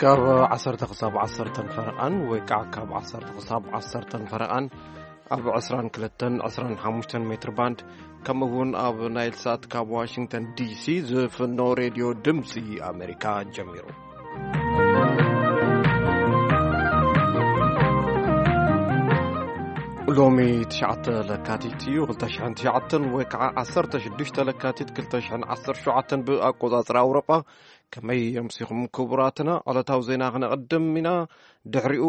ካብ ዓሰርተ ክሳብ ዓሰርተ ፈረቓን ወይ ከዓ ካብ ዓሰርተ ክሳብ ዓሰርተ ፈረቓን ኣብ ዕስራን ክልተን ዕስራን ሓሙሽተን ሜትር ባንድ፣ ከምኡ እውን ኣብ ናይል ሳት ካብ ዋሽንግተን ዲሲ ዝፍኖ ሬድዮ ድምፂ ኣሜሪካ ጀሚሩ። ሎሚ ትሽዓተ ለካቲት እዩ፣ ክልተ ሽሕን ትሽዓተን ወይ ከዓ ዓሰርተ ሽዱሽተ ለካቲት ክልተ ሽሕን ዓሰርተ ሸውዓተን ብኣቆፃፅራ ኣውሮጳ። ከመይ ኣምሲኹም ክቡራትና? ዕለታዊ ዜና ክነቕድም ኢና። ድሕሪኡ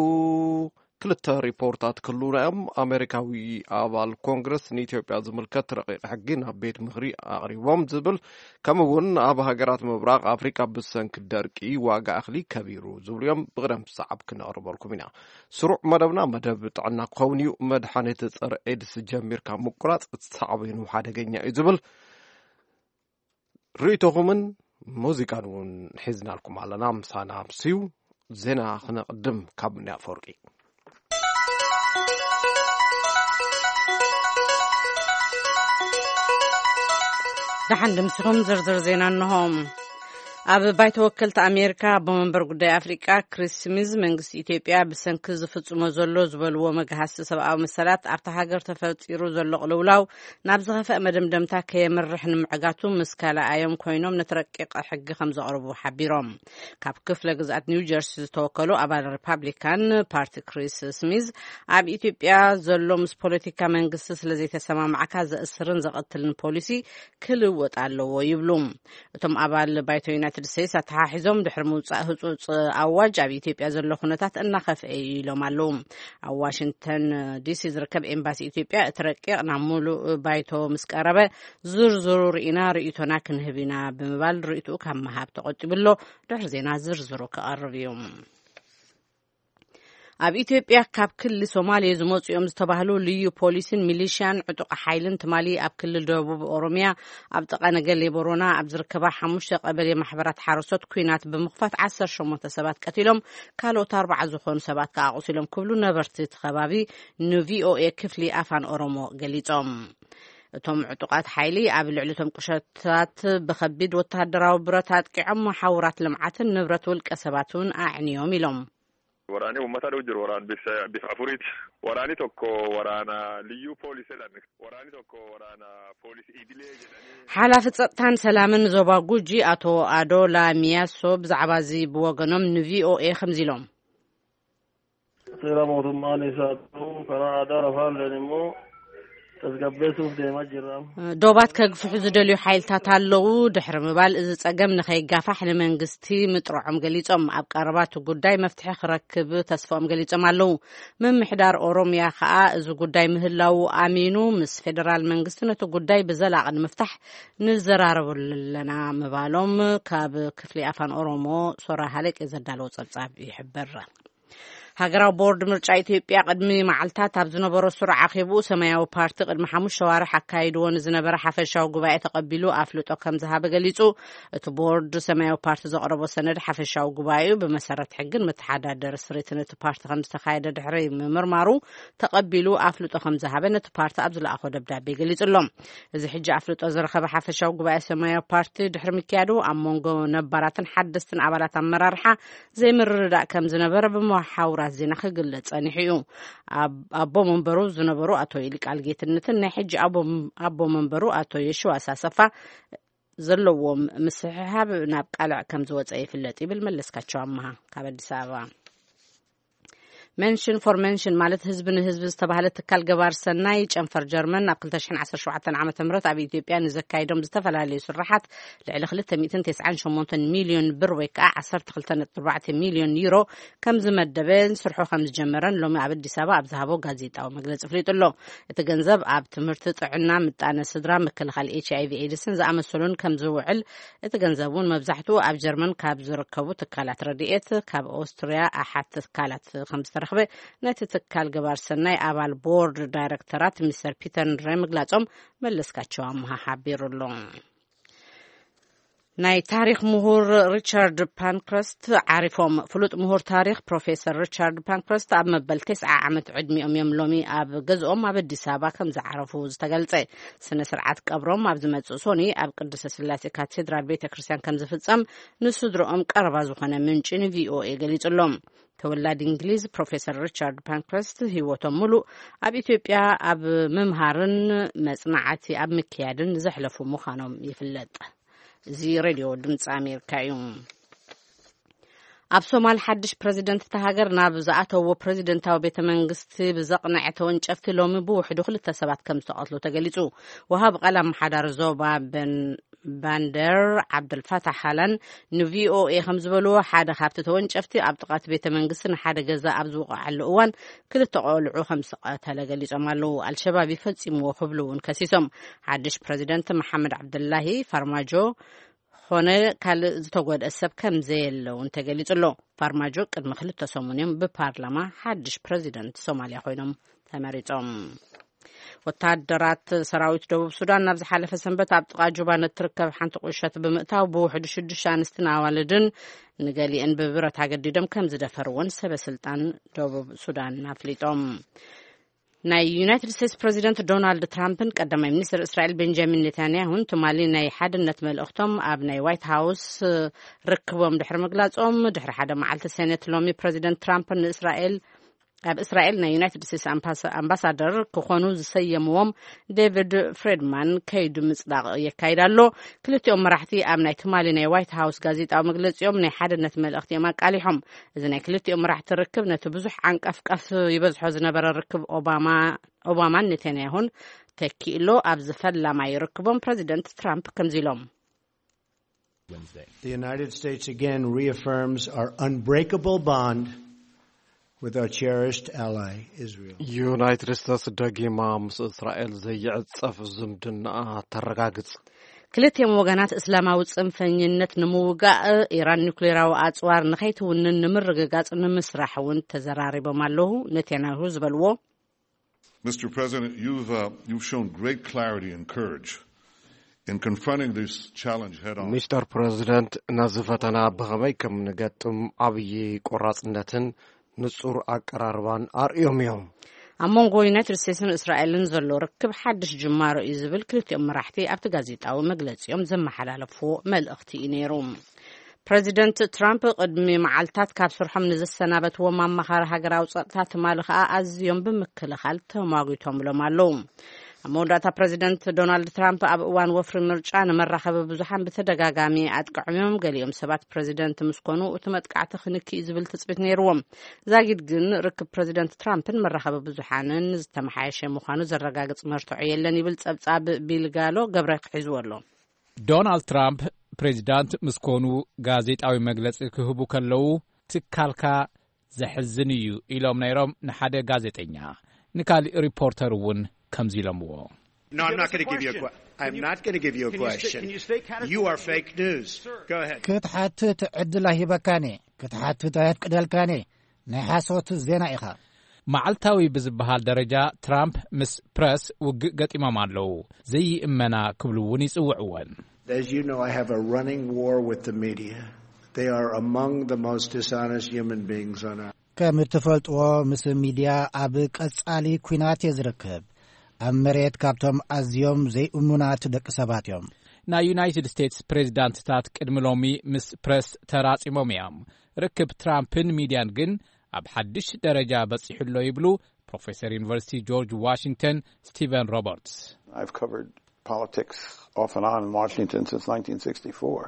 ክልተ ሪፖርታት ክህሉና እዮም። ኣሜሪካዊ ኣባል ኮንግረስ ንኢትዮጵያ ዝምልከት ረቂቕ ሕጊ ናብ ቤት ምኽሪ ኣቕሪቦም ዝብል፣ ከምኡ እውን ኣብ ሃገራት ምብራቕ ኣፍሪካ ብሰንኪ ደርቂ ዋጋ እኽሊ ከቢሩ ዝብሉ እዮም። ብቕደም ሰዓብ ክነቕርበልኩም ኢና። ስሩዕ መደብና መደብ ጥዕና ክኸውን እዩ። መድሓኒት ጸረ ኤድስ ጀሚርካ ምቁራጽ ሳዕቤኑ ሓደገኛ እዩ ዝብል ርእይቶኹምን ሙዚቃን እውን ሒዝናልኩም ኣለና። ምሳና ኣምስዩ። ዜና ክነቕድም ካብ ምንያ ኣፈወርቂ። ደሓን ድምስኹም ዝርዝር ዜና እንሆ። ኣብ ባይቶ ወከልቲ ኣሜሪካ ኣቦ መንበር ጉዳይ ኣፍሪቃ ክሪስ ስሚዝ መንግስቲ ኢትዮጵያ ብሰንኪ ዝፍጽሞ ዘሎ ዝበልዎ መግሃስቲ ሰብኣዊ መሰላት ኣብታ ሃገር ተፈጢሩ ዘሎ ቅልውላው ናብ ዝኸፍአ መደምደምታ ከየምርሕ ንምዕጋቱ ምስ ካልኣዮም ኮይኖም ነቲ ረቂቕ ሕጊ ከም ዘቕርቡ ሓቢሮም። ካብ ክፍለ ግዝኣት ኒው ጀርሲ ዝተወከሉ ኣባል ሪፓብሊካን ፓርቲ ክሪስ ስሚዝ ኣብ ኢትዮጵያ ዘሎ ምስ ፖለቲካ መንግስቲ ስለ ዘይተሰማማዕካ ዘእስርን ዘቐትልን ፖሊሲ ክልወጥ ኣለዎ ይብሉ። እቶም ኣባል ባይቶ ዩናይትድ ስቴትስ ኣተሓሒዞም ድሕሪ ምውፃእ ህፁፅ ኣዋጅ ኣብ ኢትዮጵያ ዘሎ ኩነታት እናኸፍአ እዩ ኢሎም ኣለዉ። ኣብ ዋሽንግተን ዲሲ ዝርከብ ኤምባሲ ኢትዮጵያ እቲ ረቂቕ ናብ ሙሉእ ባይቶ ምስ ቀረበ ዝርዝሩ ርኢና ርእይቶና ክንህብ ኢና ብምባል ርእይትኡ ካብ ምሃብ ተቆጢቡ ኣሎ። ድሕሪ ዜና ዝርዝሩ ክቐርብ እዩ። ኣብ ኢትዮጵያ ካብ ክልል ሶማሌ ዝመፁ እዮም ዝተባህሉ ልዩ ፖሊስን ሚሊሽያን ዕጡቕ ሓይልን ትማሊ ኣብ ክልል ደቡብ ኦሮሚያ ኣብ ጥቓ ነገሌ ቦሮና ኣብ ዝርከባ ሓሙሽተ ቀበሌ ማሕበራት ሓረስቶት ኲናት ብምኽፋት ዓሰርተ ሸሞንተ ሰባት ቀቲሎም፣ ካልኦት ኣርባዓ ዝኾኑ ሰባት ከዓ ኣቑሲሎም ክብሉ ነበርቲ እቲ ከባቢ ንቪኦኤ ክፍሊ ኣፋን ኦሮሞ ገሊጾም። እቶም ዕጡቓት ሓይሊ ኣብ ልዕሊ እቶም ቁሸታት ብኸቢድ ወተሃደራዊ ብረት ኣጥቂዖም፣ መሓውራት ልምዓትን ንብረት ውልቀ ሰባት እውን ኣዕንዮም ኢሎም። Waraanni uummata dhuu jiru waraan bifa afuriiti. Waraanni tokko waraana liyyuu poolisii jedhan. Waraanni tokko waraana poolisii idilee jedhanii. ሓላፊ ጸጥታን ሰላምን ዞባ ጉጂ ኣቶ ኣዶላ ሚያሶ ብዛዕባ እዚ ብወገኖም ንቪኦኤ ከምዚ ኢሎም። Seera mootummaan isaa ta'u karaa aadaa lafaalleen immoo tasgabbeessuuf deemaa jirra. ዶባት ከግፍሑ ዝደልዩ ሓይልታት ኣለዉ ድሕሪ ምባል፣ እዚ ጸገም ንኸይጋፋሕ ንመንግስቲ ምጥርዖም ገሊጾም። ኣብ ቀረባ እቲ ጉዳይ መፍትሒ ክረክብ ተስፋኦም ገሊጾም ኣለዉ። ምምሕዳር ኦሮምያ ከኣ እዚ ጉዳይ ምህላዉ ኣሚኑ፣ ምስ ፌደራል መንግስቲ ነቲ ጉዳይ ብዘላቒ ንምፍታሕ ንዘራረበሉ ኣለና ምባሎም ካብ ክፍሊ ኣፋን ኦሮሞ ሶራ ሃለቄ ዘዳለዎ ጸብጻብ ይሕብር። ሃገራዊ ቦርድ ምርጫ ኢትዮጵያ ቅድሚ መዓልታት ኣብ ዝነበሮ ስሩዕ ኣኼብኡ ሰማያዊ ፓርቲ ቅድሚ ሓሙሽተ ኣዋርሕ ኣካይድዎ ንዝነበረ ሓፈሻዊ ጉባኤ ተቐቢሉ ኣፍልጦ ከም ዝሃበ ገሊጹ። እቲ ቦርድ ሰማያዊ ፓርቲ ዘቕረቦ ሰነድ ሓፈሻዊ ጉባኤኡ ብመሰረት ሕግን መተሓዳደሪ ስሪትን እቲ ፓርቲ ከም ዝተኻየደ ድሕሪ ምምርማሩ ተቐቢሉ ኣፍልጦ ከም ዝሃበ ነቲ ፓርቲ ኣብ ዝለኣኾ ደብዳቤ ገሊጹ ኣሎ። እዚ ሕጂ ኣፍልጦ ዝረኸበ ሓፈሻዊ ጉባኤ ሰማያዊ ፓርቲ ድሕሪ ምክያዱ ኣብ መንጎ ነባራትን ሓደስትን ኣባላት ኣመራርሓ ዘይምርድዳእ ከም ዝነበረ ብመሓውራት ዜና ክግለጽ ጸኒሑ እዩ። ኣብ-፣ ኣቦ መንበሩ ዝነበሩ ኣቶ ይልቃል ጌትነትን ናይ ሕጂ ኣቦ-፣ ኣቦ መንበሩ ኣቶ የሽዋስ ኣሰፋ ዘለዎም ምስሕሓብ ናብ ቃልዕ ከም ዝወጸ ይፍለጥ ይብል መለስካቸው ኣመሃ ካብ ኣዲስ ኣበባ። መንሽን ፎር መንሽን ማለት ህዝቢ ንህዝቢ ዝተባህለ ትካል ገባር ሰናይ ጨንፈር ጀርመን ኣብ ክልተ ሽሕን ዓሰርተ ሸውዓተን ዓመተ ምህረት ኣብ ኢትዮጵያ ንዘካይዶም ዝተፈላለዩ ስራሓት ልዕሊ ክልተ ሚእትን ተስዓን ሸሞንተን ሚልዮን ብር ወይ ከዓ ዓሰርተ ክልተ ነጥቢ ኣርባዕተ ሚልዮን ዩሮ ከም ዝመደበን ስርሑ ከም ዝጀመረን ሎሚ ኣብ ኣዲስ ኣበባ ኣብ ዝሃቦ ጋዜጣዊ መግለጺ ኣፍሊጡ ኣሎ። እቲ ገንዘብ ኣብ ትምህርቲ፣ ጥዕና፣ ምጣነ ስድራ፣ ምክልኻል ኤች ኣይ ቪ ኤድስን ዝኣመሰሉን ከም ዝውዕል፣ እቲ ገንዘብ እውን መብዛሕትኡ ኣብ ጀርመን ካብ ዝርከቡ ትካላት ረድኤት፣ ካብ ኦስትርያ ኣሓት ትካላት ከም ዝተረኽበ ነቲ ትካል ገባር ሰናይ ኣባል ቦርድ ዳይሬክተራት ሚስተር ፒተር ንድራይ ምግላጾም መለስካቸው ኣምሃ ሓቢሩ ኣሎ። ናይ ታሪኽ ምሁር ሪቻርድ ፓንክረስት ዓሪፎም። ፍሉጥ ምሁር ታሪኽ ፕሮፌሰር ሪቻርድ ፓንክረስት ኣብ መበል ተስዓ ዓመት ዕድሚኦም እዮም ሎሚ ኣብ ገዝኦም ኣብ ኣዲስ ኣበባ ከም ዝዓረፉ ዝተገልጸ። ስነ ስርዓት ቀብሮም ኣብ ዝመጽእ ሶኒ ኣብ ቅድስተ ስላሴ ካቴድራል ቤተ ክርስቲያን ከም ዝፍጸም ንስድሮኦም ቀረባ ዝኾነ ምንጪ ንቪኦኤ ገሊጹሎም። ተወላዲ እንግሊዝ ፕሮፌሰር ሪቻርድ ፓንክረስት ህይወቶም ሙሉእ ኣብ ኢትዮጵያ ኣብ ምምሃርን መጽናዕቲ ኣብ ምክያድን ዘሕለፉ ምዃኖም ይፍለጥ። እዚ ሬድዮ ድምፂ ኣሜሪካ እዩ። ኣብ ሶማል ሓድሽ ፕረዚደንት እታ ሃገር ናብ ዝኣተዎ ፕረዚደንታዊ ቤተ መንግስቲ ብዘቕነዐ ተወንጨፍቲ ሎሚ ብውሕዱ ክልተ ሰባት ከም ዝተቐትሉ ተገሊጹ። ወሃቢ ቃል ኣመሓዳሪ ዞባ በን ባንደር ዓብደልፋታሕ ሃላን ንቪኦኤ ከም ዝበልዎ፣ ሓደ ካብቲ ተወንጨፍቲ ኣብ ጥቓ እቲ ቤተ መንግስቲ ንሓደ ገዛ ኣብ ዝወቕዓሉ እዋን ክልተ ቆልዑ ከም ዝቐተለ ገሊጾም ኣለዉ። ኣልሸባብ ይፈጺምዎ ክብሉ እውን ከሲሶም። ሓድሽ ፕረዚደንት መሓመድ ዓብደላሂ ፋርማጆ ኾነ ካልእ ዝተጎድአ ሰብ ከም ዘየለ እውን ተገሊጹ ኣሎ። ፋርማጆ ቅድሚ ክልተ ሰሙን እዮም ብፓርላማ ሓድሽ ፕረዚደንት ሶማልያ ኮይኖም ተመሪጾም። ወታደራት ሰራዊት ደቡብ ሱዳን ናብ ዝሓለፈ ሰንበት ኣብ ጥቓ ጁባ ንትርከብ ሓንቲ ቁሸት ብምእታው ብውሕዱ ሽዱሽተ ኣንስትን ኣዋልድን ንገሊአን ብብረት ኣገዲዶም ከም ዝደፈርዎን ሰበ ስልጣን ደቡብ ሱዳን ኣፍሊጦም። ናይ ዩናይትድ ስቴትስ ፕረዚደንት ዶናልድ ትራምፕን ቀዳማይ ሚኒስትር እስራኤል ቤንጃሚን ኔታንያሁን ትማሊ ናይ ሓድነት መልእኽቶም ኣብ ናይ ዋይት ሃውስ ርክቦም ድሕሪ ምግላጾም፣ ድሕሪ ሓደ መዓልቲ ሴኔት ሎሚ ፕረዚደንት ትራምፕ ንእስራኤል ኣብ እስራኤል ናይ ዩናይትድ ስቴትስ ኣምባሳ- ኣምባሳደር ክኾኑ ዝሰየምዎም ዴቪድ ፍሬድማን ከይዱ ምጽዳቕ የካይድ ኣሎ። ክልቲኦም መራሕቲ ኣብ ናይ ትማሊ ናይ ዋይት ሃውስ ጋዜጣዊ መግለጺኦም ናይ ሓድነት መልእኽቲ እዮም ኣቃሊሖም። እዚ ናይ ክልቲኦም መራሕቲ ርክብ ነቲ ብዙሕ ዓንቀፍቀፍ ይበዝሖ ዝነበረ ርክብ ኦባማ ኦባማን ኔታንያሁን ተኪእሎ። ኣብዚ ፈላማይ ርክቦም ፕረዚደንት ትራምፕ ከምዚ ኢሎም። The United States again reaffirms our unbreakable bond with our cherished ally, Israel. ዩናይትድ ስቴትስ ደጊማ ምስ እስራኤል ዘይዕጸፍ ዝምድናኣ ተረጋግጽ። ክልቲኦም ወገናት እስላማዊ ጽንፈኝነት ንምውጋእ፣ ኢራን ኒውክሌራዊ ኣጽዋር ንኸይትውንን ንምርግጋጽ ንምስራሕ እውን ተዘራሪቦም ኣለዉ። ኔታንያሁ ዝበልዎ Mister President, you've, uh, you've shown great clarity and courage in confronting this challenge head on. ሚስተር ፕረዚደንት፣ ነዚ ፈተና ብኸመይ ከም ንገጥም ዓብዪ ቆራጽነትን ንጹር ኣቀራርባን ኣርእዮም እዮም። ኣብ መንጎ ዩናይትድ ስቴትስን እስራኤልን ዘሎ ርክብ ሓድሽ ጅማሮ እዩ ዝብል ክልቲኦም መራሕቲ ኣብቲ ጋዜጣዊ መግለጺኦም ዘመሓላለፍዎ መልእኽቲ እዩ ነይሩ። ፕረዚደንት ትራምፕ ቅድሚ መዓልታት ካብ ስርሖም ንዝሰናበትዎም ኣማኻሪ ሃገራዊ ጸጥታ ትማሊ ከኣ ኣዝዮም ብምክልኻል ተሟጒቶምሎም ኣለዉ። ኣብ መወዳእታ ፕረዚደንት ዶናልድ ትራምፕ ኣብ እዋን ወፍሪ ምርጫ ንመራኸቢ ብዙሓን ብተደጋጋሚ ኣጥቅዖም እዮም። ገሊኦም ሰባት ፕረዚደንት ምስ ኮኑ እቲ መጥቃዕቲ ክንኪ እዩ ዝብል ትጽቢት ነይርዎም። ዛጊድ ግን ርክብ ፕረዚደንት ትራምፕን መራኸቢ ብዙሓንን ዝተመሓየሸ ምዃኑ ዘረጋግጽ መርትዖ የለን ይብል ጸብጻብ ቢል ጋሎ ገብረ ሒዝዎ ኣሎ። ዶናልድ ትራምፕ ፕሬዚዳንት ምስ ኮኑ ጋዜጣዊ መግለጺ ክህቡ ከለዉ ትካልካ ዘሕዝን እዩ ኢሎም ነይሮም ንሓደ ጋዜጠኛ። ንካሊእ ሪፖርተር እውን ከምዚ ኢሎምዎ። No, I'm not going to give you a que- I'm not going to give you a question. You are fake news. Go ahead. ክትሓትት ዕድል ኣይህበካን እየ። ክትሓትት ኣየፍቅደልካን እየ። ናይ ሓሶት ዜና ኢኻ። መዓልታዊ ብዝበሃል ደረጃ ትራምፕ ምስ ፕረስ ውግእ ገጢሞም ኣለዉ። ዘይእመና ክብሉ እውን ይጽውዕወን። As you know, I have a running war with the media. They are among the most dishonest human beings on earth. ከም እትፈልጥዎ ምስ ሚድያ ኣብ ቀጻሊ ኲናት እየ ዝርከብ። ኣብ መሬት ካብቶም ኣዝዮም ዘይእሙናት ደቂ ሰባት እዮም። ናይ ዩናይትድ ስቴትስ ፕሬዚዳንትታት ቅድሚ ሎሚ ምስ ፕረስ ተራጺሞም እዮም። ርክብ ትራምፕን ሚድያን ግን ኣብ ሓድሽ ደረጃ በጺሑ ኣሎ ይብሉ ፕሮፌሰር ዩኒቨርሲቲ ጆርጅ ዋሽንግተን ስቲቨን ሮበርትስ። I've covered politics off and on in Washington since nineteen sixty-four.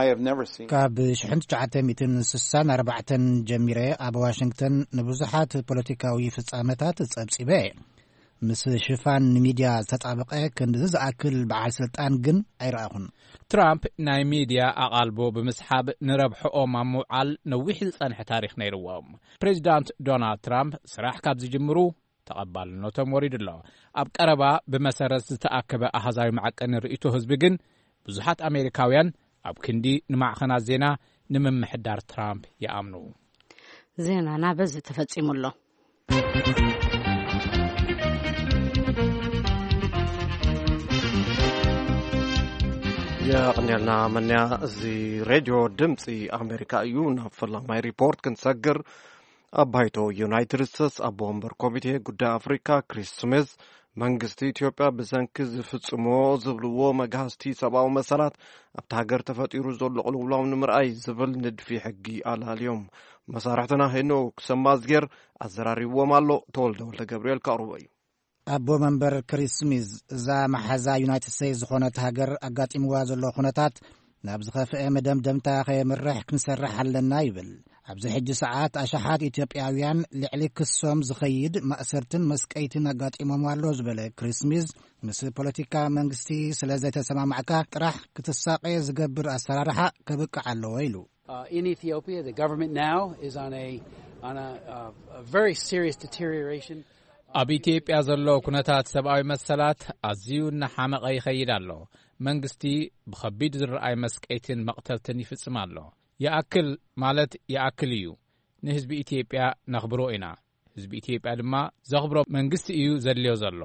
I have never seen ካብ ሽሕን ትሽዓተ ሚእትን ስሳን ኣርባዕተን ጀሚረ ኣብ ዋሽንግተን ንብዙሓት ፖለቲካዊ ፍጻመታት ጸብጺበ እየ። ምስ ሽፋን ንሚድያ ዝተጣበቐ ክንድዚ ዝኣክል በዓል ስልጣን ግን ኣይረኣኹን። ትራምፕ ናይ ሚድያ ኣቓልቦ ብምስሓብ ንረብሕኦም ኣብ ምውዓል ነዊሕ ዝጸንሐ ታሪኽ ነይርዎም። ፕሬዚዳንት ዶናልድ ትራምፕ ስራሕ ካብ ዝጅምሩ ተቐባልነቶም ወሪዱ ኣሎ። ኣብ ቀረባ ብመሰረት ዝተኣከበ ኣሃዛዊ መዐቀኒ ርእይቶ ህዝቢ ግን ብዙሓት ኣሜሪካውያን ኣብ ክንዲ ንማዕኸናት ዜና ንምምሕዳር ትራምፕ ይኣምኑ። ዜናና በዚ ተፈጺሙ ኣሎ። የቐንየልና መን። እዚ ሬድዮ ድምፂ ኣሜሪካ እዩ። ናብ ፈላማይ ሪፖርት ክንሰግር፣ ኣብ ባይቶ ዩናይትድ ስቴትስ ኣቦ ወንበር ኮሚቴ ጉዳይ ኣፍሪካ ክሪስ ስሚዝ፣ መንግስቲ ኢትዮጵያ ብሰንኪ ዝፍጽሞ ዝብልዎ መግሃስቲ ሰብኣዊ መሰላት ኣብቲ ሃገር ተፈጢሩ ዘሎ ቅልውላው ንምርኣይ ዝብል ንድፊ ሕጊ ኣላልዮም። መሳርሕትና ሄኖክ ሰማዝጌር ኣዘራሪብዎም ኣሎ። ተወልደ ወልደ ገብርኤል ከቕርቦ እዩ። ኣቦ መንበር ክሪስ ስሚዝ፣ እዛ መሓዛ ዩናይትድ ስቴትስ ዝኾነት ሃገር ኣጋጢምዋ ዘሎ ኩነታት ናብ ዝኸፍአ መደምደምታ ከየምርሕ ክንሰርሕ ኣለና ይብል። ኣብዚ ሕጂ ሰዓት ኣሽሓት ኢትዮጵያውያን ልዕሊ ክሶም ዝኸይድ ማእሰርትን መስቀይትን ኣጋጢሞም ኣሎ ዝበለ ክሪስ ስሚዝ፣ ምስ ፖለቲካ መንግስቲ ስለ ዘይተሰማማዕካ ጥራሕ ክትሳቐ ዝገብር ኣሰራርሓ ከብቅዕ ኣለዎ ኢሉ። Uh, in Ethiopia, the government now is on a, on a, uh, a very serious deterioration. ኣብ ኢትዮጵያ ዘሎ ኩነታት ሰብኣዊ መሰላት ኣዝዩ እናሓመቐ ይኸይድ ኣሎ። መንግስቲ ብኸቢድ ዝረኣይ መስቀይትን መቕተልትን ይፍጽም ኣሎ። ይኣክል ማለት ይኣክል እዩ። ንህዝቢ ኢትዮጵያ ነኽብሮ ኢና። ህዝቢ ኢትዮጵያ ድማ ዘኽብሮ መንግስቲ እዩ ዘድልዮ ዘሎ።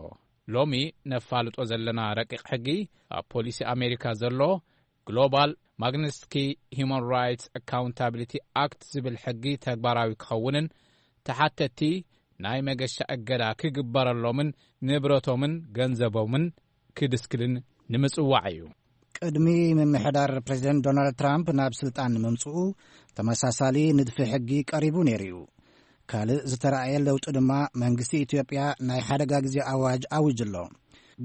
ሎሚ ነፋልጦ ዘለና ረቂቕ ሕጊ፣ ኣብ ፖሊሲ ኣሜሪካ ዘሎ ግሎባል ማግኒትስኪ ሂውማን ራይትስ ኣካውንታቢሊቲ ኣክት ዝብል ሕጊ ተግባራዊ ክኸውንን ተሓተቲ ናይ መገሻ እገዳ ክግበረሎምን ንብረቶምን ገንዘቦምን ክድስክልን ንምጽዋዕ እዩ። ቅድሚ ምምሕዳር ፕሬዚደንት ዶናልድ ትራምፕ ናብ ስልጣን ምምጽኡ፣ ተመሳሳሊ ንድፊ ሕጊ ቀሪቡ ነይሩ እዩ። ካልእ ዝተራእየ ለውጢ ድማ፣ መንግስቲ ኢትዮጵያ ናይ ሓደጋ ግዜ ኣዋጅ ኣዊጁ ኣሎ።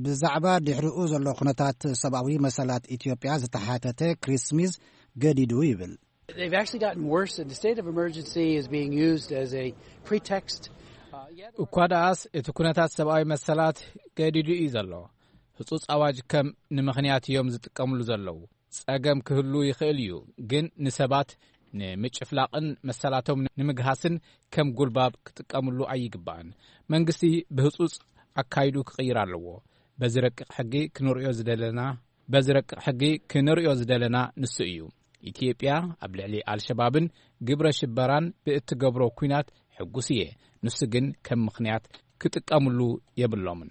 ብዛዕባ ድሕሪኡ ዘሎ ኩነታት ሰብኣዊ መሰላት ኢትዮጵያ ዝተሓተተ ክሪስ ስሚዝ ገዲዱ ይብል። They've actually gotten worse, and the state of emergency is being used as a pretext. Uh, yet እኳ ደኣስ እቲ ኩነታት ሰብኣዊ መሰላት ገዲዱ እዩ ዘሎ። ህጹጽ ኣዋጅ ከም ንምኽንያት እዮም ዝጥቀምሉ ዘለዉ። ጸገም ክህሉ ይኽእል እዩ፣ ግን ንሰባት ንምጭፍላቕን መሰላቶም ንምግሃስን ከም ጉልባብ ክጥቀምሉ ኣይግባእን። መንግስቲ ብህጹጽ ኣካይዱ ክቕይር ኣለዎ። በዚ ረቂቕ ሕጊ ክንርእዮ ዝደለና፣ በዚ ረቂቕ ሕጊ ክንርእዮ ዝደለና ንሱ እዩ። ኢትዮጵያ ኣብ ልዕሊ ኣልሸባብን ግብረ ሽበራን ብእትገብሮ ኲናት ሕጉስ እየ። ንሱ ግን ከም ምኽንያት ክጥቀምሉ የብሎምን።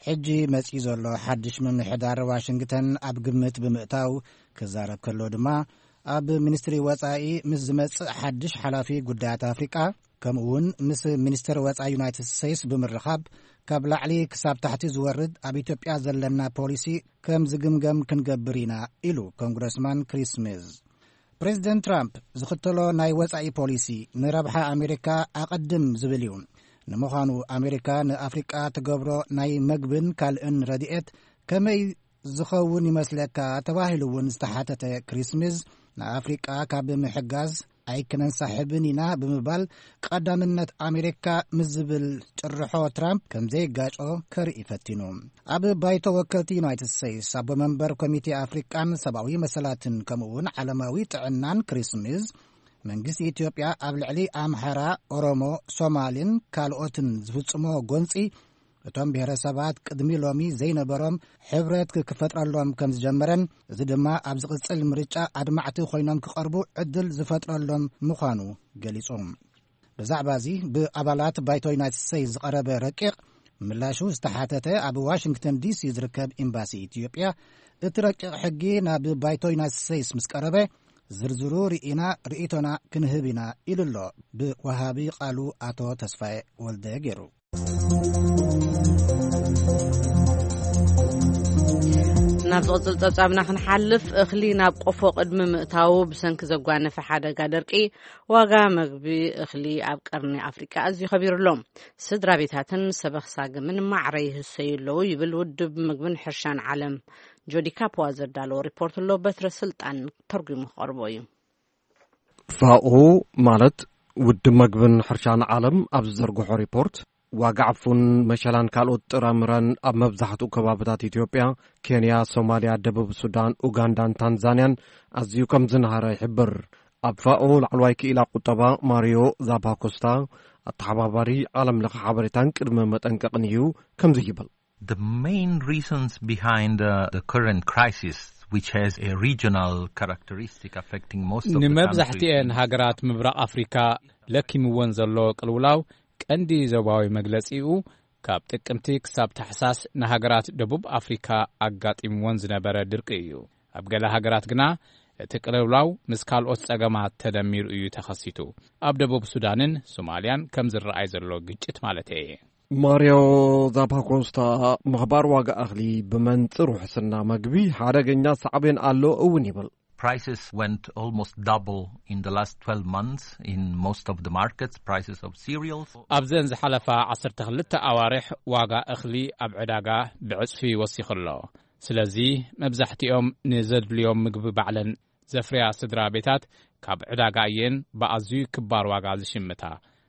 ሕጂ መጺኡ ዘሎ ሓድሽ ምምሕዳር ዋሽንግተን ኣብ ግምት ብምእታው ክዛረብ ከሎ ድማ፣ ኣብ ሚኒስትሪ ወጻኢ ምስ ዝመጽእ ሓድሽ ሓላፊ ጉዳያት ኣፍሪቃ፣ ከምኡ እውን ምስ ሚኒስትር ወጻኢ ዩናይትድ ስቴትስ ብምርኻብ፣ ካብ ላዕሊ ክሳብ ታሕቲ ዝወርድ ኣብ ኢትዮጵያ ዘለና ፖሊሲ ከም ዝግምገም ክንገብር ኢና ኢሉ ኮንግረስማን ክሪስ ስሚዝ። ፕሬዚደንት ትራምፕ ዝኽተሎ ናይ ወጻኢ ፖሊሲ ንረብሓ ኣሜሪካ ኣቐድም ዝብል እዩ። ንምዃኑ ኣሜሪካ ንኣፍሪቃ ትገብሮ ናይ መግብን ካልእን ረድኤት ከመይ ዝኸውን ይመስለካ ተባሂሉ እውን ዝተሓተተ ክሪስ ስሚዝ፣ ንኣፍሪቃ ካብ ምሕጋዝ ኣይክነንሳሕብን ኢና ብምባል፣ ቀዳምነት ኣሜሪካ ምስ ዝብል ጭርሖ ትራምፕ ከም ዘይጋጮ ከርኢ ፈቲኑ። ኣብ ባይቶ ወከልቲ ዩናይትድ ስቴትስ ኣቦ መንበር ኮሚቴ ኣፍሪቃን ሰብኣዊ መሰላትን ከምኡ እውን ዓለማዊ ጥዕናን ክሪስ ስሚዝ፣ መንግስቲ ኢትዮጵያ ኣብ ልዕሊ ኣምሓራ፣ ኦሮሞ፣ ሶማልን ካልኦትን ዝፍጽሞ ጎንጺ፣ እቶም ብሄረሰባት ቅድሚ ሎሚ ዘይነበሮም ሕብረት ክፈጥረሎም ከም ዝጀመረን፣ እዚ ድማ ኣብ ዝቕጽል ምርጫ ኣድማዕቲ ኮይኖም ክቐርቡ ዕድል ዝፈጥረሎም ምዃኑ ገሊጹ። ብዛዕባ እዚ ብኣባላት ባይቶ ዩናይትድ ስቴትስ ዝቐረበ ረቂቕ ምላሹ ዝተሓተተ ኣብ ዋሽንግተን ዲሲ ዝርከብ ኤምባሲ ኢትዮጵያ፣ እቲ ረቂቕ ሕጊ ናብ ባይቶ ዩናይትድ ስቴትስ ምስ ቀረበ ዝርዝሩ ርኢና ርእይቶና ክንህብ ኢና ኢሉ ኣሎ ብወሃቢ ቃሉ ኣቶ ተስፋዬ ወልደ ገይሩ። ናብ ዝቕጽል ጸብጻብና ክንሓልፍ፣ እኽሊ ናብ ቆፎ ቅድሚ ምእታዉ ብሰንኪ ዘጓነፈ ሓደጋ ደርቂ፣ ዋጋ መግቢ እኽሊ ኣብ ቀርኒ ኣፍሪቃ ኣዝዩ ከቢሩ ኣሎ። ስድራ ቤታትን ሰበኽ ሳግምን ማዕረ ይህሰዩ ኣለዉ ይብል ውድብ ምግብን ሕርሻን ዓለም። ጆዲ ካፖዋ ዘዳለዎ ሪፖርት ኣሎ፣ በትረ ስልጣን ተርጉሙ ክቐርቦ እዩ። ፋኦ ማለት ውድብ መግብን ሕርሻን ዓለም ኣብ ዝዘርግሖ ሪፖርት፣ ዋጋ ዕፉን፣ መሸላን ካልኦት ጥራምረን ኣብ መብዛሕትኡ ከባብታት ኢትዮጵያ፣ ኬንያ፣ ሶማልያ፣ ደቡብ ሱዳን፣ ኡጋንዳን ታንዛንያን ኣዝዩ ከም ዝነሃረ ይሕብር። ኣብ ፋኦ ላዕለዋይ ክኢላ ቁጠባ ማሪዮ ዛፓኮስታ፣ ኣተሓባባሪ ዓለም ለኸ ሓበሬታን ቅድመ መጠንቀቕን እዩ፣ ከምዚ ይብል። The main reasons behind uh, the current crisis, which has a regional characteristic affecting most of the ንመብዛሕትኤን countries. ሃገራት ምብራቕ ኣፍሪካ ለኪምወን ዘሎ ቅልውላው ቀንዲ ዞባዊ መግለጺኡ፣ ካብ ጥቅምቲ ክሳብ ታሕሳስ ንሃገራት ደቡብ ኣፍሪካ ኣጋጢምወን ዝነበረ ድርቂ እዩ። ኣብ ገለ ሃገራት ግና እቲ ቅልውላው ምስ ካልኦት ጸገማት ተደሚሩ እዩ ተኸሲቱ። ኣብ ደቡብ ሱዳንን ሶማልያን ከም ዝረኣይ ዘሎ ግጭት ማለተይ እየ። ማርዮ ዛፓኮስታ፣ ምኽባር ዋጋ እኽሊ ብመንጽር ውሕስና መግቢ ሓደገኛ ሳዕቤን ኣሎ እውን ይብል። Prices went almost double in the last twelve months in most of the markets, prices of cereals. ኣብዘን ዝሓለፋ ዓሰርተ ክልተ ኣዋርሕ ዋጋ እኽሊ ኣብ ዕዳጋ ብዕጽፊ ወሲኹ ኣሎ። ስለዚ መብዛሕትኦም ንዘድልዮም ምግቢ ባዕለን ዘፍርያ ስድራ ቤታት ካብ ዕዳጋ እየን ብኣዝዩ ክባር ዋጋ ዝሽምታ።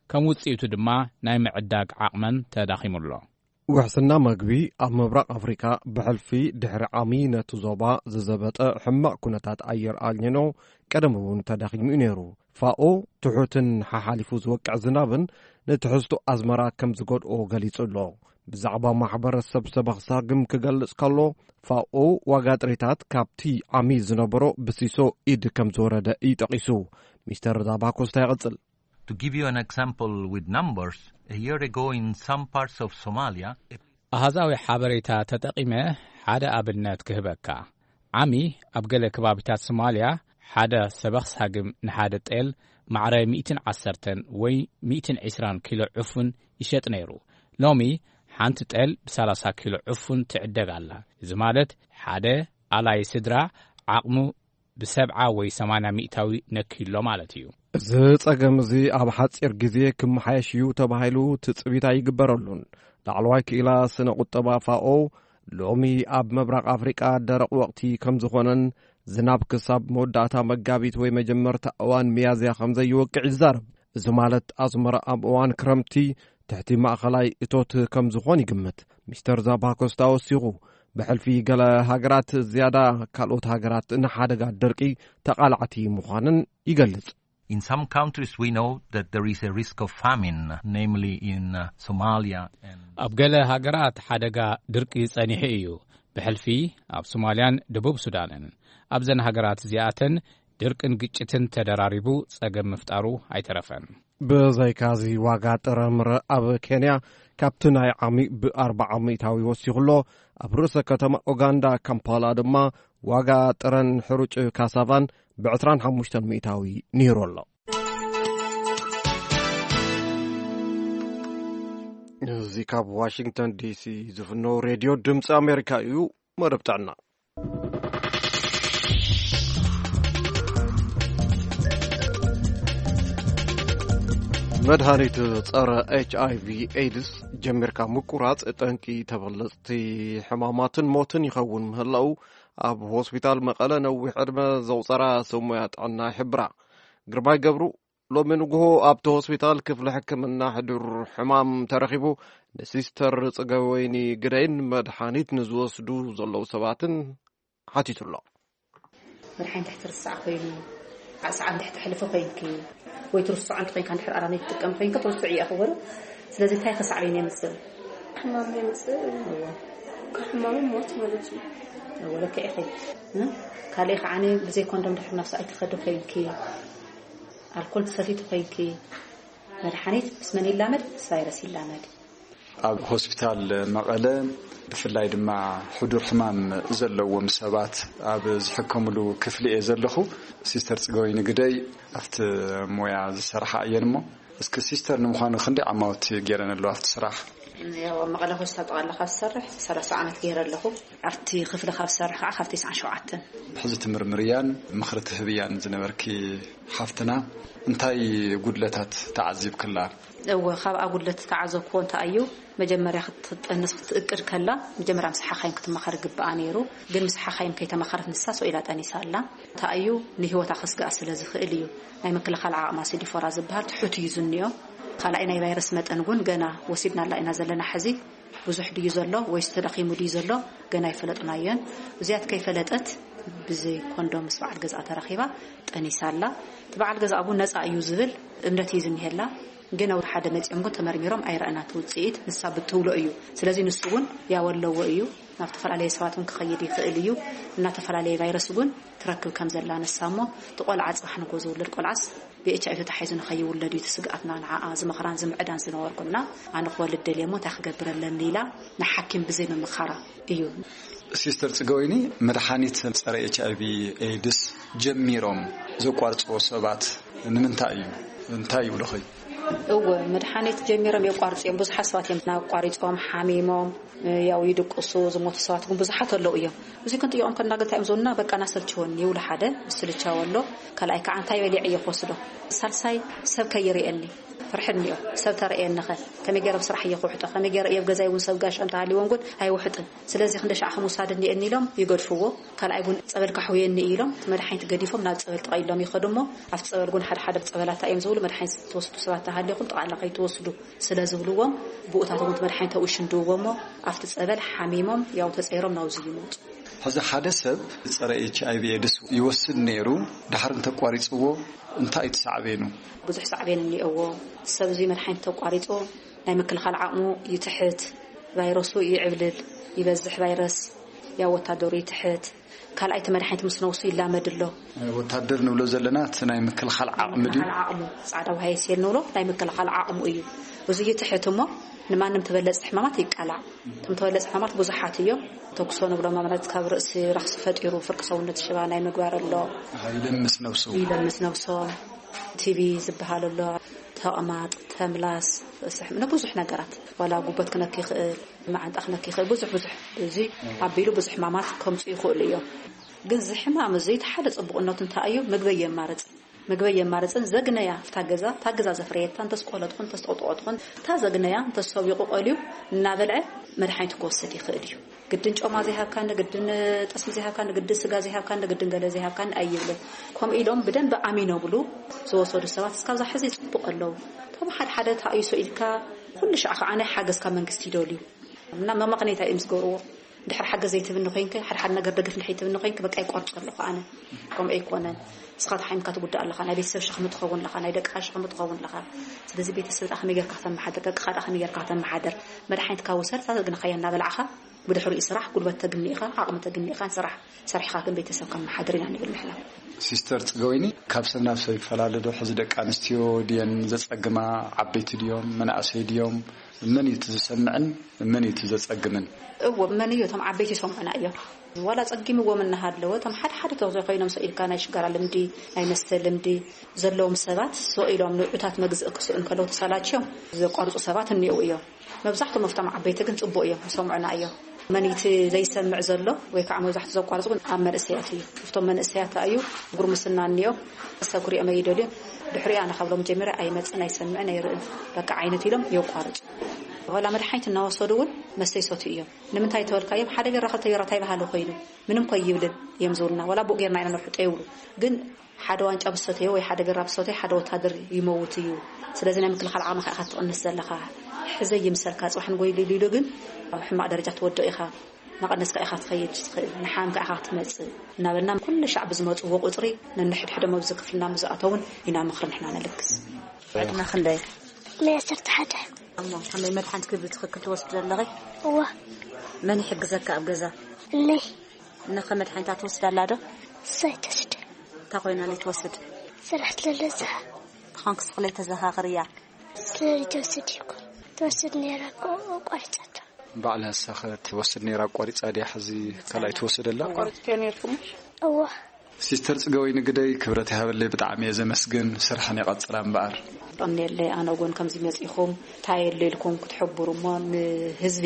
ከም ውጽኢቱ ድማ ናይ ምዕዳግ ዓቕመን ተዳኺሙ ኣሎ። ውሕስና መግቢ ኣብ ምብራቕ ኣፍሪካ ብሕልፊ ድሕሪ ዓሚ ነቲ ዞባ ዝዘበጠ ሕማቕ ኩነታት ኣየር ኣልኒኖ ቀደም እውን ተዳኺሙ እዩ ነይሩ። ፋኦ ትሑትን ሓሓሊፉ ዝወቅዕ ዝናብን ንትሕዝቶ ኣዝመራ ከም ዝጎድኦ ገሊጹ ኣሎ። ብዛዕባ ማሕበረሰብ ሰበኽ ሳግም ክገልጽ ከሎ፣ ፋኦ ዋጋ ጥሪታት ካብቲ ዓሚ ዝነበሮ ብሲሶ ኢድ ከም ዝወረደ እዩ ጠቒሱ። ሚስተር ዛባኮስታ ይቕጽል። To give you an example with numbers, a year ago in some parts of Somalia, a ኣሃዛዊ ሓበሬታ ተጠቒመ ሓደ ኣብነት ክህበካ። ዓሚ ኣብ ገለ ከባቢታት ሶማልያ ሓደ ሰበኽ ሳግም ንሓደ ጤል ማዕረ ሚእትን ዓሰርተን ወይ ሚእትን ዕስራን ኪሎ ዕፉን ይሸጥ ነይሩ። ሎሚ ሓንቲ ጤል ብሰላሳ ኪሎ ዕፉን ትዕደግ ኣላ። እዚ ማለት ሓደ ኣላይ ስድራ ዓቕሙ ብሰብዓ ወይ ሰማንያ ሚእታዊ ነክዩ ኣሎ ማለት እዩ። እዚ ጸገም እዚ ኣብ ሓጺር ግዜ ክመሓየሽ እዩ ተባሂሉ ትጽቢት ኣይግበረሉን። ላዕለዋይ ክኢላ ስነ ቁጠባ ፋኦ ሎሚ ኣብ ምብራቕ ኣፍሪቃ ደረቕ ወቕቲ ከም ዝኾነን ዝናብ ክሳብ መወዳእታ መጋቢት ወይ መጀመርታ እዋን ሚያዝያ ከም ዘይወቅዕ ይዛረብ። እዚ ማለት ኣዝመራ ኣብ እዋን ክረምቲ ትሕቲ ማእኸላይ እቶት ከም ዝኾን ይግምት። ሚስተር ዛባኮስታ ወሲኹ፣ ብሕልፊ ገለ ሃገራት ዝያዳ ካልኦት ሃገራት ንሓደጋ ድርቂ ተቓላዕቲ ምዃነን ይገልጽ። In some countries, we know that there is a risk of famine, namely in uh, Somalia. And ኣብ ገለ ሃገራት ሓደጋ ድርቂ ጸኒሑ እዩ። ብሕልፊ ኣብ ሶማልያን ደቡብ ሱዳንን። ኣብዘን ሃገራት እዚኣተን ድርቅን ግጭትን ተደራሪቡ ጸገም ምፍጣሩ ኣይተረፈን። ብዘይካዚ ዋጋ ጥረምረ ኣብ ኬንያ ካብቲ ናይ ዓሚ ብኣርባዓ ሚእታዊ ወሲኹ ኣሎ። ኣብ ርእሰ ከተማ ኡጋንዳ ካምፓላ ድማ ዋጋ ጥረን ሕሩጭ ካሳቫን ብዕስራን ሓሙሽተን ሚእታዊ ንይሩ ኣሎ። እዚ ካብ ዋሽንግተን ዲሲ ዝፍኖ ሬድዮ ድምፂ ኣሜሪካ እዩ። መደብ ጥዕና። መድሃኒት ጸረ ኤች ኣይ ቪ ኤድስ ጀሚርካ ምቁራጽ ጠንቂ ተበለጽቲ ሕማማትን ሞትን ይኸውን ምህላው ኣብ ሆስፒታል መቐለ ነዊሕ ዕድመ ዘቑጸራ ሰብ ሞያ ጥዕና ይሕብራ። ግርማይ ገብሩ ሎሚ ንግሆ ኣብቲ ሆስፒታል ክፍሊ ሕክምና ሕዱር ሕማም ተረኺቡ ንሲስተር ጽገወይኒ ግደይን መድሓኒት ንዝወስዱ ዘለዉ ሰባትን ሓቲቱ ኣሎ። መድሓኒት ትሕቲ ርስዓ ኮይኑ፣ ዓቕሳዓ እንድሕር ተሕልፎ ኮይንኪ፣ ወይ ትርስዖ እንተ ኮይንካ፣ እንድሕር ኣራሚት ትጥቀም ኮይንካ፣ ትርስዑ እያ ክበሉ። ስለዚ እንታይ ከሳዕበኒ የምጽእ? ሕማም የምጽእ። እዎ። ካብ ሕማም ሞት ማለት እዩ። እዎ፣ ልክዕ ኢኺ። እ? ካልእ ከዓኒ ብዘይ ኮንዶም ድሕር ናብ ሰብኣይ ትኸዲ ኮይንኪ፣ ኣልኮል ትሰቲ ተኾይንኪ፣ መድሓኒት ምስ መን ይላመድ? ምስ ቫይረስ ይላመድ። ኣብ ሆስፒታል መቐለ ብፍላይ ድማ ሕዱር ሕማም ዘለዎም ሰባት ኣብ ዝሕከምሉ ክፍሊ እየ ዘለኹ። ሲስተር ጽገወይኒ ግደይ ኣብቲ ሞያ ዝሰርሓ እየን እሞ፣ እስኪ ሲስተር ንምዃኑ ክንደይ ዓማውቲ ገይረን ኣለዋ ኣብቲ ስራሕ? ያው ኣብ መቐለ ሆስፒታል ጠቕላላ ካብ ዝሰርሕ ሰላሳ ዓመት ገይረ ኣለኹ። ኣብቲ ክፍሊ ካብ ዝሰርሕ ከዓ ካብ ተስዓን ሸውዓተን። ሕዚ ትምርምርያን ምኽሪ ትህብያን ዝነበርኪ ሓፍትና እንታይ ጉድለታት ተዓዚብክላ? እወ፣ ካብኣ ጉድለት ዝተዓዘብክዎ እንታይ እዩ? መጀመርያ ክትጠንስ ክትእቅድ ከላ፣ መጀመርያ ምስ ሓኻይም ክትመኻር ግብኣ ነይሩ። ግን ምስ ሓኻይም ከይተመኸረት ንሳ ሰው ኢላ ጠኒሳ ኣላ። እንታይ እዩ? ንህይወታ ከስግኣ ስለ ዝኽእል እዩ። ናይ ምክልኻል ዓቕማ ሲዲፎራ ዝበሃል ትሑት እዩ ዝንዮ። ካልኣይ ናይ ቫይረስ መጠን እውን ገና ወሲድናላ ኢና ዘለና ሕዚ። ብዙሕ ድዩ ዘሎ ወይስ ተዳኺሙ ድዩ ዘሎ ገና ኣይፈለጥናዮን። እዚኣት ከይፈለጠት ብዘይ ኮንዶም ምስ በዓል ገዝኣ ተራኺባ ጠኒሳ ኣላ። እቲ በዓል ገዝኣ እውን ነፃ እዩ ዝብል እምነት እዩ ዝኒሀላ። ግን ኣብ ሓደ መፂኦም ግን ተመርሚሮም ኣይረኣናት ውፅኢት፣ ንሳ ብትብሎ እዩ። ስለዚ ንሱ እውን ያው ኣለዎ እዩ፣ ናብ ዝተፈላለየ ሰባት እውን ክኸይድ ይኽእል እዩ። እናተፈላለየ ቫይረስ እውን ትረክብ ከም ዘላ ንሳ እሞ፣ እቲ ቆልዓ ፅባሕ ንጎ ዝውለድ ቆልዓስ ብኤች ኣይ ቪ ተታሒዙ ንኸይውለድ እዩ እቲ ስግኣትና። ንዓኣ ዝመኽራን ዝምዕዳን ዝነበርኩና፣ ኣነ ክወልድ ደልየ እሞ እንታይ ክገብር ኣለኒ ኢላ ንሓኪም ብዘይ ምምኻራ እዩ። ሲስተር ጽገወይኒ፣ መድሓኒት ጸረ ኤች ኣይ ቪ ኤድስ ጀሚሮም ዘቋርጽዎ ሰባት ንምንታይ እዩ? እንታይ ይብሉኺ? እወ፣ መድሓኒት ጀሚሮም የቋርጹ እዮም። ብዙሓት ሰባት እዮም ኣቋሪጾም፣ ሓሚሞም፣ ያው ይድቅሱ፣ ዝሞቱ ሰባት እውን ብዙሓት ኣለዉ እዮም። እዚ ክንጥይቆም ከና ግን እንታይ እዮም ዝብሉና? በቃ ናሰልችወኒ ይብሉ ሓደ፣ ምስልቻው ኣሎ። ካልኣይ ከዓ እንታይ በሊዐ እየ ክወስዶ? ሳልሳይ ሰብ ከይርእየኒ ፍርሒ እኒኦ። ሰብ ተርእየኒ ኸ ከመይ ገይረ ኣብ ስራሕ እየ ክውሕጦ? ከመይ ገይረ እየ ኣብ ገዛይ እውን ሰብ ጋሻ እንተሃልይዎም ግን ኣይውሕጥን። ስለዚ ክንደሻዕ ከምውሳድ እኒኤኒ ኢሎም ይገድፍዎ። ካልኣይ እውን ጸበል ካሕውየኒ ኢሎም እቲ መድሓኒት ገዲፎም ናብ ጸበል ጥቐ ኢሎም ይኸዱ እሞ ኣብቲ ጸበል እውን ሓደ ሓደ ጸበላት እዮም ዝብሉ መድሓኒት ትወስዱ ሰባት ተሃሊኹም ጠቓላ ከይትወስዱ ስለ ዝብልዎም ብኡታት እውን እቲ መድሓኒት ኣብኡ ይሽንድውዎ እሞ ኣብቲ ጸበል ሓሚሞም ያው ተጸይሮም ናብዚ ይመጹ። ሕዚ ሓደ ሰብ ጸረ ኤች ኣይ ቪ ኤድስ ይወስድ ነይሩ፣ ድሓር እንተቋሪጽዎ እንታይ እዩ እቲ ሳዕቤኑ? ብዙሕ ሳዕቤን እኒኦዎ። ሰብ እዚ መድሓኒት ተቋሪጹ ናይ ምክልኻል ዓቕሙ ይትሕት፣ ቫይረሱ ይዕብልል፣ ይበዝሕ ቫይረስ፣ ያው ወታደሩ ይትሕት። ካልኣይ እቲ መድሓኒት ምስ ነውሱ ይላመድ ኣሎ። ወታደር ንብሎ ዘለና እቲ ናይ ምክልኻል ዓቕሚ ድዩ? ምክልኻል ዓቕሙ፣ ጻዕዳ ውሃ የስየል ንብሎ ናይ ምክልኻል ዓቕሙ እዩ። እዚ ይትሕት እሞ ንማንም ተበለጽቲ ሕማማት ይቃላዕ። እቶም ተበለጽቲ ሕማማት ብዙሓት እዮም። ተኩሶ ንብሎ ማለት ካብ ርእሲ ረኽሲ ፈጢሩ ፍርቂ ሰውነት ሽባ ናይ ምግባር ኣሎ። ይለምስ ነብሱ። ይለምስ ነብሶም። ቲቢ ዝበሃል ኣሎ። ተቕማጥ፣ ተምላስ፣ ርእሲ ሕም-፣ ንብዙሕ ነገራት ዋላ ጉበት ክነክ ይኽእል፣ መዓንጣ ክነክ ይኽእል፣ ብዙሕ ብዙሕ። እዚ ኣቢሉ ብዙሕ ሕማማት ከምፁ ይኽእሉ እዮም። ግን እዚ ሕማም እዚ እቲ ሓደ ፅቡቕነቱ እንታይ እዩ? ምግበይ የማርፅ። ምግበይ የማርፅን ዘግነያ እታ ገዛ፣ እታ ገዛ ዘፍረየታ እንተስቆለጥኹን እንተስጠቕጥቖጥኹን እታ ዘግነያ እንተሰቢቑ ቆልዩ እናበልዐ መድሓኒት ክወስድ ይኽእል እዩ። ግድን ጮማ ዘይሃብካኒ፣ ግድን ጠስሚ ዘይሃብካኒ፣ ግድን ስጋ ዘይሃብካኒ፣ ግድን ገለ ዘይሃብካኒ ኣይብልን። ከምኡ ኢሎም ብደንቢ ኣሚኖምሉ ዝወሰዱ ሰባት እስካብ ዛ ሕዚ ይፅብቑ ኣለዉ። እቶም ሓደ ሓደ ተኣይሶ ኢልካ ኩሉ ሻዕ ከዓ ናይ ሓገዝ ካብ መንግስቲ ይደልዩ። እና መመቕነይታ እዮም ዝገብርዎ። እንድሕር ሓገዝ ዘይትብኒ ኮይንከ፣ ሓደ ሓደ ነገር ደገፍ እንድሕር ይትብኒ ኮይንከ፣ በቃ ይቆርፅ ኣለኹ ኣነ። ከምኡ ኣይኮነን። ንስኻ ተሓሚምካ ትጉዳእ ኣለኻ፣ ናይ ቤተሰብ ሸኽሚ ትኸውን ኣለኻ፣ ናይ ደቅኻ ሸኽሚ ትኸውን ኣለኻ። ስለዚ ቤተሰብካ ከመይ ጌርካ ከተመሓድር፣ ደቅኻ ከመይ ጌርካ ከተመሓድር፣ መድሓኒትካ ውሰድ፣ እታ ዘግነኻያ እናበላዕኻ ብድሕሪኡ ስራሕ፣ ጉልበት ተግኒ ኢኻ፣ ዓቕሚ ተግኒ ኢኻ፣ ስራሕ ሰሪሕኻ ግን ቤተሰብ ከመሓድር ኢና ንብል ንሕና። ሲስተር ጽገወይኒ፣ ካብ ሰብ ናብ ሰብ ይፈላለ ዶ? ሕዚ ደቂ ኣንስትዮ ድየን ዘጸግማ? ዓበይቲ ድዮም? መናእሰይ ድዮም? መን እዩ እቲ ዝሰምዕን መን እዩ እቲ ዘጸግምን? እዎ፣ መን እዩ? እቶም ዓበይቲ ይሰምዑና እዮም። ዋላ ጸጊምዎም እናሃለወ፣ እቶም ሓደ ሓደ ተዘኮይኖም ሰኢልካ ናይ ሽጋራ ልምዲ፣ ናይ መስተ ልምዲ ዘለዎም ሰባት ሰኢሎም ንዑታት መግዝእ ክስእኑ ከለዉ ተሳላችዮም ዘቋርጹ ሰባት እኒአው እዮም። መብዛሕቶም ኣብቶም ዓበይቲ ግን ጽቡቕ እዮም፣ ይሰምዑና እዮም። መን እቲ ዘይሰምዕ ዘሎ ወይ ከዓ መብዛሕቱ ዘቋርጹ ግን ኣብ መንእሰያት እዩ። ኣብቶም መንእሰያት እዩ ጉርምስና እኒኦ፣ ሰብ ክሪኦም ኣይደልዩን። ድሕሪኡ ኣነ ካብሎም ጀሚረ ኣይመጽን፣ ኣይሰምዕን፣ ኣይርእን በቃ ዓይነት ኢሎም የቋርጹ። ዋላ መድሓኒት እናወሰዱ እውን መስተ ይሰትዩ እዮም። ንምንታይ ተበልካዮም ሓደ ቢራ ክልተ ቢራ እንታይ ባህሊ ኮይኑ ምንም ኮ ይብልን እዮም ዝብሉና። ዋላ ብኡ ጌርና ኢና ነውሕጦ ይብሉ። ግን ሓደ ዋንጫ ብሰተዮ ወይ ሓደ ቢራ ብሰተዮ ሓደ ወታደር ይመውት እዩ። ስለዚ ናይ ምክልኻል ዓቕምኻ ኢኻ ትቕንስ ዘለኻ። ሕዘ ይምሰልካ ጽባሕ ንጎይሉ ኢሉ ግን ኣብ ሕማቕ ደረጃ ትወድቕ ኢኻ። እናቐነስካ ኢኻ ትኸይድ ትኽእል፣ ንሓምካ ኢኻ ክትመጽእ እናበልና ኩሉ ሻዕ ብዝመጽዎ ቁጽሪ ነንሕድሕዶም ኣብዚ ክፍልና ምስ ዝኣተውን ኢና ምኽሪ ንሕና ነልግስ። ዕድመ ክንደይ? መያ ዓሰርተ ሓደ። እሞ ከመይ መድሓኒትኪ ብትኽክል ትወስዲ ዘለኺ? እዋ። መን ይሕግዘካ ኣብ ገዛ? እነይ። እነኸ መድሓኒታ ትወስድ ኣላ ዶ? እሳ ኣይትወስድ። እንታይ ኮይና ለይትወስድ? ስራሕ ስለለዛ። ብኾንክስ ክለይ ተዘኻኽርያ? ስለለይትወስድ ይኮ ትወስድ ነይራ እኮ ኣቋሪጻቶ። ባዕላ ንሳኸ ትወስድ ነይራ ኣቋሪጻ ድያ ሕዚ ካልኣይ ትወስድ ኣላ? ኣቋሪጽክዮ ነይርኩም? እዋ። ሲስተር ጽገወይኒ ግደይ ክብረት ይሃበለይ ብጣዕሚ እየ ዘመስግን። ስርሕን ይቐጽላ እምበኣር። የቐንየለይ። ኣነ እውን ከምዚ መጺኹም እንታይ የለ ኢልኩም ክትሕብሩ እሞ ንህዝቢ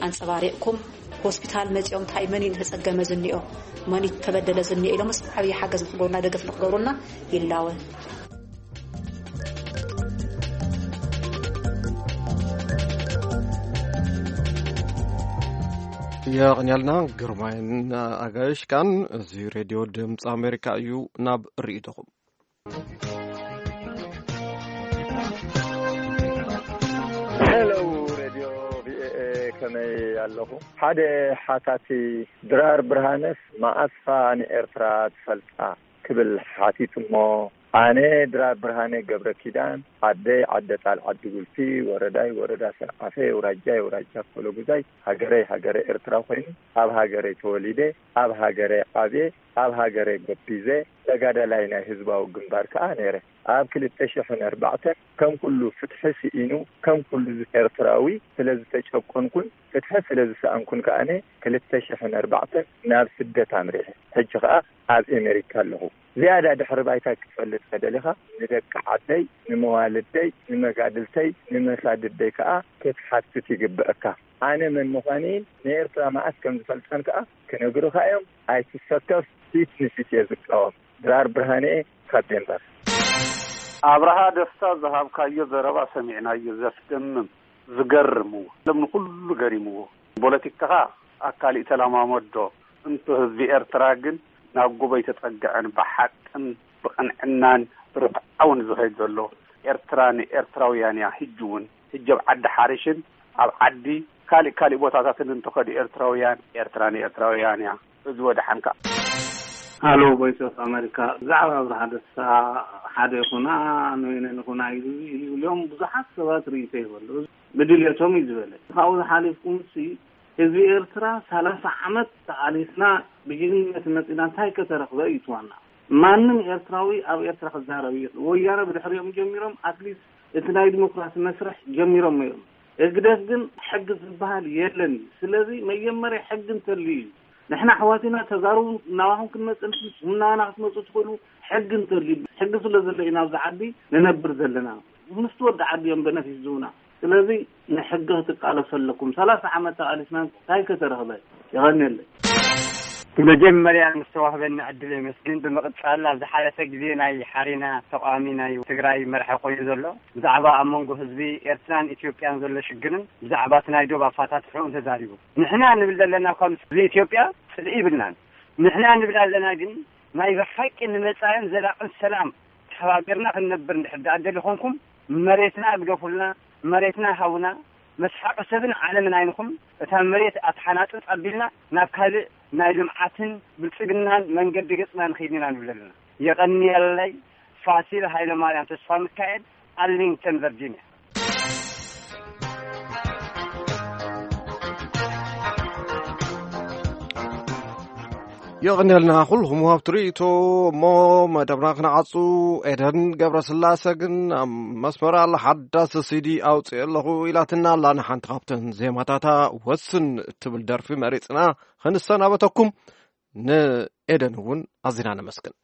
ኣንጸባሪቕኩም ሆስፒታል መጺኦም እንታይ መን እዩ ዝተጸገመ ዝኒኦ መን እዩ ተበደለ ዝኒኦ ኢሎምስ ዓብዪ ሓገዝ ንክገብሩና ደገፍ ንክገብሩና ይላወ። የቕንያልና ግርማይን ኣጋይሽካን። እዚ ሬድዮ ድምፂ ኣሜሪካ እዩ። ናብ ርእይቶኹም። ሄሎ ሬድዮ ቪኦኤ፣ ከመይ ኣለኹ? ሓደ ሓታቲ ድራር ብርሃነስ መኣስፋ ንኤርትራ ትፈልጣ ክብል ሓቲቱ እሞ፣ ኣነ ድራር ብርሃነ ገብረ ኪዳን፣ ዓደይ ዓደ ጣል ዓዲ ጉልፊ፣ ወረዳይ ወረዳ ሰርዓፈ፣ የውራጃይ የውራጃ ኮሎጉዛይ፣ ሃገረይ ሃገረ ኤርትራ ኮይኑ፣ ኣብ ሃገረይ ተወሊደ፣ ኣብ ሃገረይ ዓብየ፣ ኣብ ሃገረ ገቢዘ ተጋዳላይ ናይ ህዝባዊ ግንባር ከኣ ነይረ። ኣብ ክልተ ሽሕን ኣርባዕተን ከም ኩሉ ፍትሒ ስኢኑ፣ ከም ኩሉ ዝ-፣ ኤርትራዊ ስለ ዝተጨቆንኩን ፍትሒ ስለ ዝሰኣንኩን ከኣነ ክልተ ሽሕን ኣርባዕተን ናብ ስደት ኣምሪሐ። ሕጂ ከኣ ኣብ ኤሜሪካ ኣለኹ። ዝያዳ ድሕሪ ባይታ ክትፈልጥ ከደሊኻ ንደቂ ዓደይ፣ ንመዋልደይ፣ ንመጋድልተይ፣ ንመሳድደይ ከኣ ክትሓትት ይግበአካ። ኣነ መን ምዃነይን ንኤርትራ መዓስ ከም ዝፈልጣን ከኣ ክነግሩኻ እዮም። ኣይትሰከፍ፣ ፊት ንፊት እየ ዝቃወም። ድራር ብርሃነ ካብ ዴንቨር። ኣብርሃ ደስታ ዝሃብካዮ ዘረባ ሰሚዕናዮ፣ ዘስደምም፣ ዝገርም እዎ። ዓለም ንኹሉ ገሪምዎ። ፖለቲካኻ ኣካል ተለማመዶ፣ እንቶ ህዝቢ ኤርትራ ግን ናብ ጎቦ ኣይተጸግዐን፣ ብሓቅን ብቕንዕናን ብርትዓውን ዝኸይድ ዘሎ። ኤርትራ ንኤርትራውያን እያ፣ ሕጂ እውን። ሕጂ ኣብ ዓዲ ሓሪሽን ኣብ ዓዲ ካልእ ካልእ ቦታታትን እንተኸዱ ኤርትራውያን፣ ኤርትራ ንኤርትራውያን እያ። እዚ ወደሓንካ። ሃሎ ቮይስ ኦፍ ኣሜሪካ፣ ብዛዕባ ኣብርሃ ደስታ ሓደ ይኹና ንወይነ ንኹና ኢሉ ኢሉ ኢሎም ብዙሓት ሰባት ርእይቶ ይበሉ። ብድልየቶም እዩ ዝበለ። ካብኡ ዝሓሊፍኩም ሲ ህዝቢ ኤርትራ ሰላሳ ዓመት ተቓሊስና ብጅግንነት መጺና እንታይ ከተረኽበ እዩ ትዋና? ማንም ኤርትራዊ ኣብ ኤርትራ ክዛረብ እዩ። ወያነ ብድሕሪኦም ጀሚሮም ኣትሊስት እቲ ናይ ዲሞክራሲ መስርሕ ጀሚሮም እዮም። ህግደፍ ግን ሕጊ ዝበሃል የለን እዩ። ስለዚ መጀመርያ ሕጊ እንተልዩ እዩ። ንሕና ኣሕዋትና ተጋሩ ናባኹም ክንመጽእ ንፍጽም፣ ናባና ክትመጹ ትኽእሉ ሕጊ እንተልዩ። ሕጊ ስለ ዘሎ ኢና ኣብዚ ዓዲ ንነብር ዘለና። ምስቲ ወዲ ዓዲ እዮም በነፊት ዝህቡና። ስለዚ ንሕጊ ክትቃለሱ ኣለኩም። ሰላሳ ዓመት ተቓሊስና እንታይ ከተረኽበ? የቐንየለይ። ብመጀመርያ ንዝተዋህበኒ ዕድል የመስግን። ብምቕጻል ኣብ ዝሓለፈ ግዜ ናይ ሓሬና ተቃዋሚ ናይ ትግራይ መራሒ ኮይኑ ዘሎ ብዛዕባ ኣብ መንጎ ህዝቢ ኤርትራን ኢትዮጵያን ዘሎ ሽግርን ብዛዕባ እቲ ናይ ዶብ ኣፋታትሕኡን ተዛሪቡ። ንሕና ንብል ዘለና እኳ ምስ ህዝቢ ኢትዮጵያ ጽልኢ ይብልናን። ንሕና ንብል ኣለና ግን ናይ ብሓቂ ንመጻእን ዘላቕን ሰላም ተሓባቢርና ክንነብር እንድሕር ደኣ ደሊ ኾንኩም መሬትና ግደፉልና፣ መሬትና ሃቡና፣ መስሓቂ ሰብን ዓለምን ኣይንኹን። እታ መሬት ኣትሓናጽጽ ኣቢልና ናብ ካልእ ናይ ልምዓትን ብልጽግናን መንገዲ ገጽና ንኸይድ ኢና ንብል ኣለና። የቐንየለይ። ፋሲል ሃይለማርያም ተስፋ ሚካኤል፣ ኣርሊንግተን ቨርጂኒያ። የቐንየልና ኩልኹም ወሃብቲ ርእይቶ። እሞ መደብና ክነዓጹ፣ ኤደን ገብረስላሰ ግን ኣብ መስመር ኣላ። ሓዳስ ሲዲ ኣውፅእ ኣለኹ ኢላትና ኣላ። ንሓንቲ ካብተን ዜማታታ ወስን እትብል ደርፊ መሪፅና ክንሰናበተኩም። ንኤደን እውን ኣዚና ነመስግን።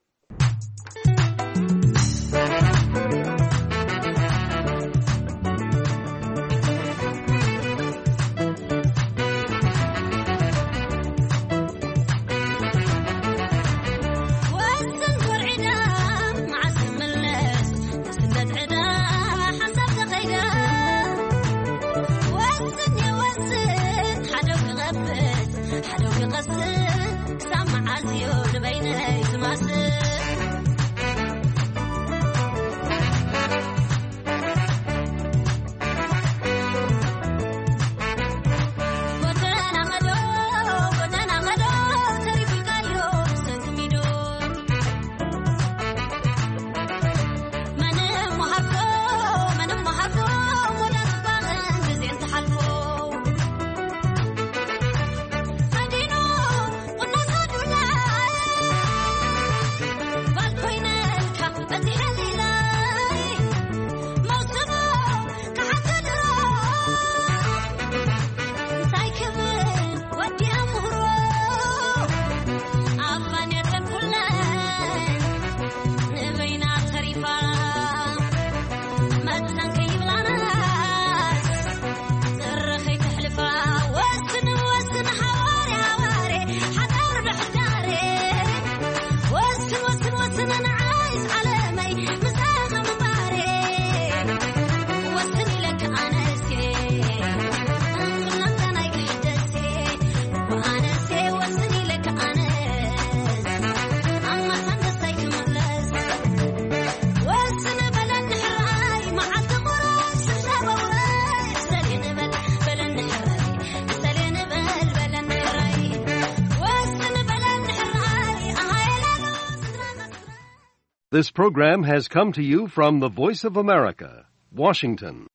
This program has come to you from the Voice of America, Washington.